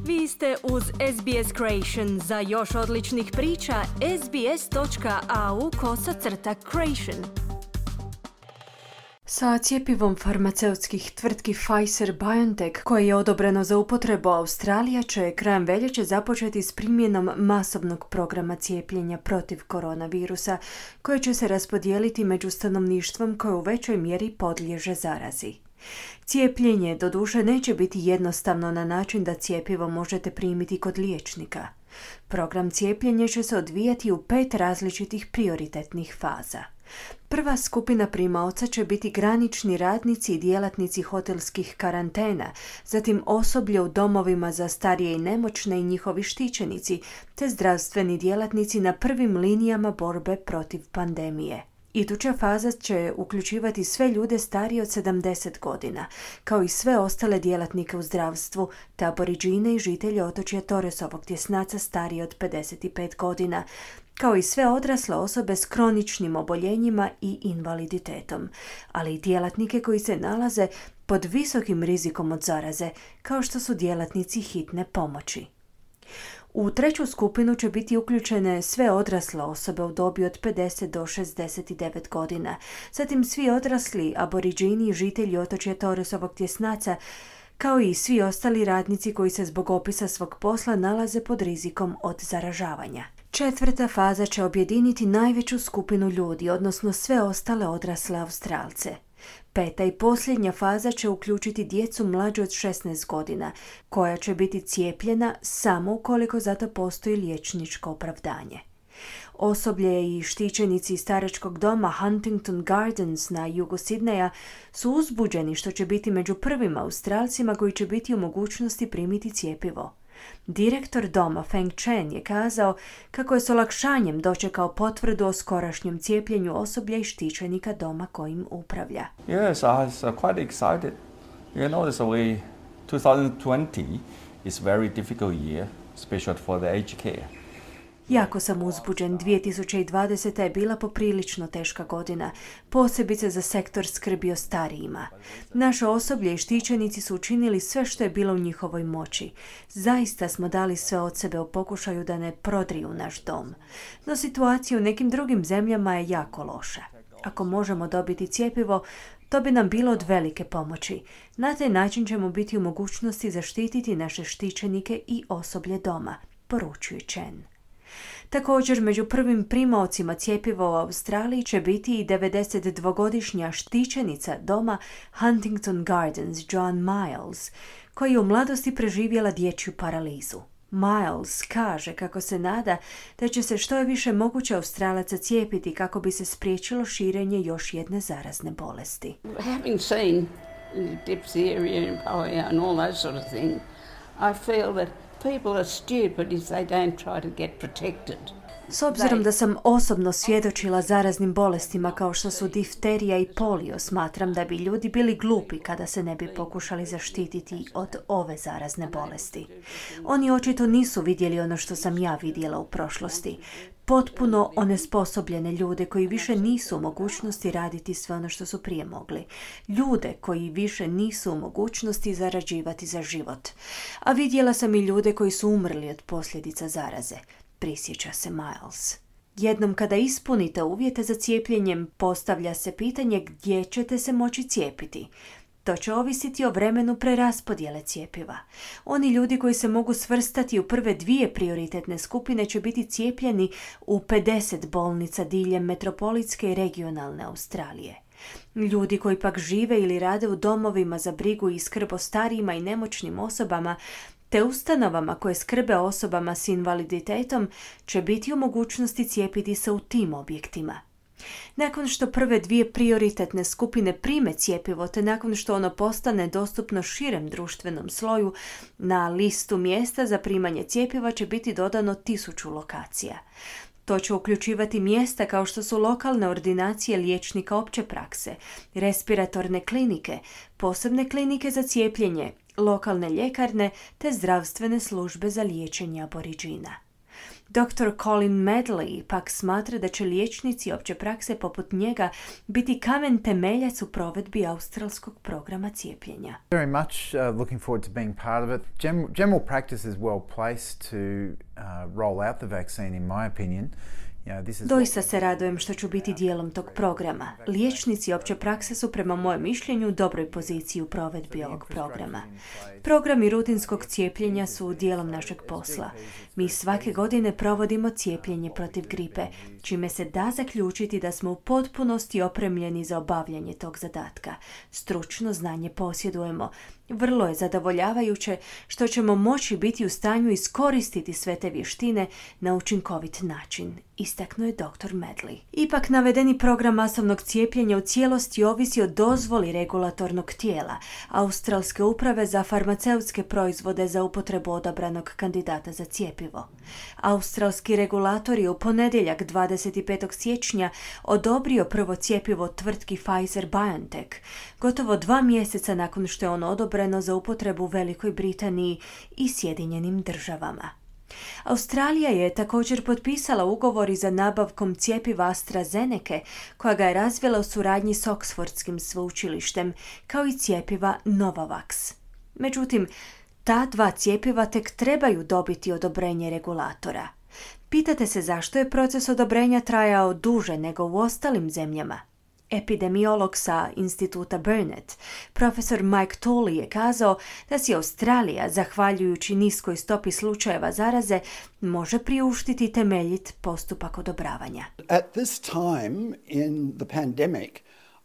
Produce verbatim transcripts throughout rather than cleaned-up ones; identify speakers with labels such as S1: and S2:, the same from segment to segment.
S1: Vi ste uz S B S Creation. Za još odličnih priča, sbs.au kosacrta creation. Sa cjepivom farmaceutskih tvrtki Pfizer-BioNTech, koje je odobreno za upotrebu, Australija će krajem veljače započeti s primjenom masovnog programa cijepljenja protiv koronavirusa, koje će se raspodijeliti među stanovništvom koje u većoj mjeri podliježe zarazi. Cijepljenje doduše neće biti jednostavno na način da cjepivo možete primiti kod liječnika. Program cijepljenja će se odvijati u pet različitih prioritetnih faza. Prva skupina primaoca će biti granični radnici i djelatnici hotelskih karantena, zatim osoblje u domovima za starije i nemoćne i njihovi štićenici, te zdravstveni djelatnici na prvim linijama borbe protiv pandemije. Iduća faza će uključivati sve ljude starije od sedamdeset godina, kao i sve ostale djelatnike u zdravstvu, te Aboridžine i žitelje otočja Torresovog tjesnaca starije od pedeset pet godina, kao i sve odrasle osobe s kroničnim oboljenjima i invaliditetom, ali i djelatnike koji se nalaze pod visokim rizikom od zaraze, kao što su djelatnici hitne pomoći. U treću skupinu će biti uključene sve odrasle osobe u dobi od pedeset do šezdeset devet godina, zatim svi odrasli Aboridžini i žitelji otočja Torresovog tjesnaca, kao i svi ostali radnici koji se zbog opisa svog posla nalaze pod rizikom od zaražavanja. Četvrta faza će objediniti najveću skupinu ljudi, odnosno sve ostale odrasle Australce. Peta i posljednja faza će uključiti djecu mlađe od šesnaest godina, koja će biti cijepljena samo ukoliko za to postoji liječničko opravdanje. Osoblje i štićenici staračkog doma Huntington Gardens na jugu Sidneja su uzbuđeni što će biti među prvim Australcima koji će biti u mogućnosti primiti cjepivo. Direktor doma Feng Chen je kazao kako je s olakšanjem dočekao potvrdu o skorašnjem cijepljenju osoblja i štićenika doma kojim upravlja.
S2: Yes, I was uh, quite excited. You know, this way twenty twenty is a very difficult year, especially for the aged care.
S1: Jako sam uzbuđen. dvije tisuće dvadeseta je bila poprilično teška godina, posebice za sektor skrbi o starijima. Naše osoblje i štićenici su učinili sve što je bilo u njihovoj moći. Zaista smo dali sve od sebe u pokušaju da ne prodriju naš dom. No situacija u nekim drugim zemljama je jako loša. Ako možemo dobiti cjepivo, to bi nam bilo od velike pomoći. Na taj način ćemo biti u mogućnosti zaštititi naše štićenike i osoblje doma, poručuje Chen. Također, među prvim primaocima cjepiva u Australiji će biti i devedesetdvogodišnja štićenica doma Huntington Gardens Joan Miles, koja je u mladosti preživjela dječju paralizu. Miles kaže kako se nada da će se što je više moguće Australaca cijepiti kako bi se spriječilo širenje još jedne zarazne bolesti.
S3: Having seen diphtheria and polio and all those sort of things, I feel that people are stupid if they don't try to get protected.
S1: S obzirom da sam osobno svjedočila zaraznim bolestima kao što su difterija i polio, smatram da bi ljudi bili glupi kada se ne bi pokušali zaštititi od ove zarazne bolesti. Oni očito nisu vidjeli ono što sam ja vidjela u prošlosti. Potpuno onesposobljene ljude koji više nisu u mogućnosti raditi sve ono što su prije mogli. Ljude koji više nisu u mogućnosti zarađivati za život. A vidjela sam i ljude koji su umrli od posljedica zaraze, prisjeća se Miles. Jednom kada ispunite uvjete za cijepljenjem, postavlja se pitanje gdje ćete se moći cijepiti. To će ovisiti o vremenu preraspodjele cjepiva. Oni ljudi koji se mogu svrstati u prve dvije prioritetne skupine će biti cijepljeni u pedeset bolnica diljem metropolitske i regionalne Australije. Ljudi koji pak žive ili rade u domovima za brigu i skrb o starijima i nemoćnim osobama te ustanovama koje skrbe osobama s invaliditetom će biti u mogućnosti cijepiti se u tim objektima. Nakon što prve dvije prioritetne skupine prime cjepivo te nakon što ono postane dostupno širem društvenom sloju, na listu mjesta za primanje cjepiva će biti dodano tisuću lokacija. To će uključivati mjesta kao što su lokalne ordinacije liječnika opće prakse, respiratorne klinike, posebne klinike za cijepljenje, lokalne ljekarne te zdravstvene službe za liječenje Aboridžina. doktor Colin Medley pak smatra da će liječnici opće prakse poput njega biti kamen temeljac u provedbi australskog programa cijepljenja.
S4: Very much uh, looking forward to being part of it. Gen- general practice is well placed to uh, roll out the vaccine, in my opinion.
S1: Doista se radujem što ću biti dijelom tog programa. Liječnici opće prakse su prema mojem mišljenju u dobroj poziciji u provedbi ovog programa. Programi rutinskog cijepljenja su dijelom našeg posla. Mi svake godine provodimo cijepljenje protiv gripe, čime se da zaključiti da smo u potpunosti opremljeni za obavljanje tog zadatka. Stručno znanje posjedujemo. Vrlo je zadovoljavajuće što ćemo moći biti u stanju iskoristiti sve te vještine na učinkovit način, istaknuo je doktor Medley. Ipak navedeni program masovnog cijepljenja u cijelosti ovisi o dozvoli regulatornog tijela, Australske uprave za farmaceutske proizvode za upotrebu odabranog kandidata za cjepivo. Australski regulator je u ponedjeljak dvadeset petog siječnja odobrio prvo cjepivo tvrtki Pfizer-BioNTech, gotovo dva mjeseca nakon što je ono odobreno za upotrebu u Velikoj Britaniji i Sjedinjenim državama. Australija je također potpisala ugovor i za nabavkom cjepiva AstraZeneca, koja ga je razvila u suradnji s Oxfordskim sveučilištem, kao i cjepiva Novavax. Međutim, ta dva cjepiva tek trebaju dobiti odobrenje regulatora. Pitate se zašto je proces odobrenja trajao duže nego u ostalim zemljama? Epidemiolog sa instituta Burnet, profesor Mike Tolley, je kazao da si Australija, zahvaljujući niskoj stopi slučajeva zaraze, može priuštiti temeljit postupak odobravanja.
S5: At this time in the pandemic,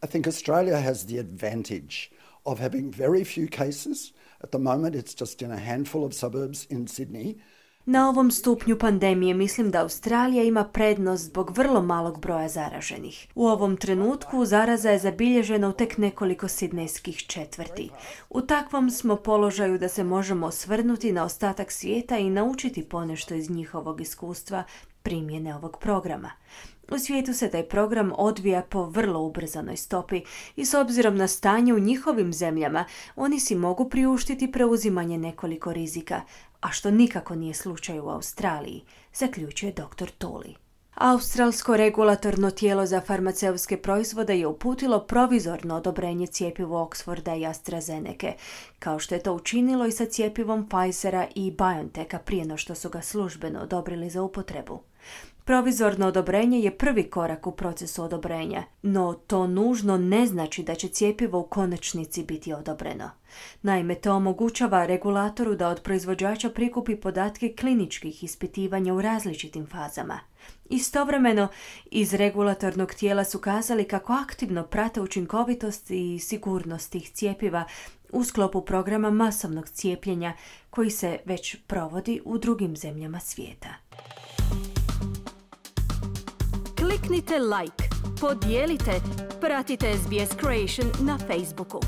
S5: I think Australia has the advantage of having very few cases. At the moment it's just in a handful of suburbs in Sydney.
S1: Na ovom stupnju pandemije mislim da Australija ima prednost zbog vrlo malog broja zaraženih. U ovom trenutku zaraza je zabilježena u tek nekoliko sidnejskih četvrti. U takvom smo položaju da se možemo osvrnuti na ostatak svijeta i naučiti ponešto iz njihovog iskustva primjene ovog programa. U svijetu se taj program odvija po vrlo ubrzanoj stopi i s obzirom na stanje u njihovim zemljama, oni si mogu priuštiti preuzimanje nekoliko rizika, a što nikako nije slučaj u Australiji, zaključuje doktor Tolley. Australsko regulatorno tijelo za farmaceutske proizvode je uputilo provizorno odobrenje cjepivu Oxforda i AstraZeneca, kao što je to učinilo i sa cjepivom Pfizera i BioNTecha prije no što su ga službeno odobrili za upotrebu. Provizorno odobrenje je prvi korak u procesu odobrenja, no to nužno ne znači da će cjepivo u konačnici biti odobreno. Naime, to omogućava regulatoru da od proizvođača prikupi podatke kliničkih ispitivanja u različitim fazama. Istovremeno, iz regulatornog tijela su kazali kako aktivno prate učinkovitost i sigurnost tih cjepiva u sklopu programa masovnog cijepljenja koji se već provodi u drugim zemljama svijeta. Kliknite like, podijelite, pratite S B S Creation na Facebooku.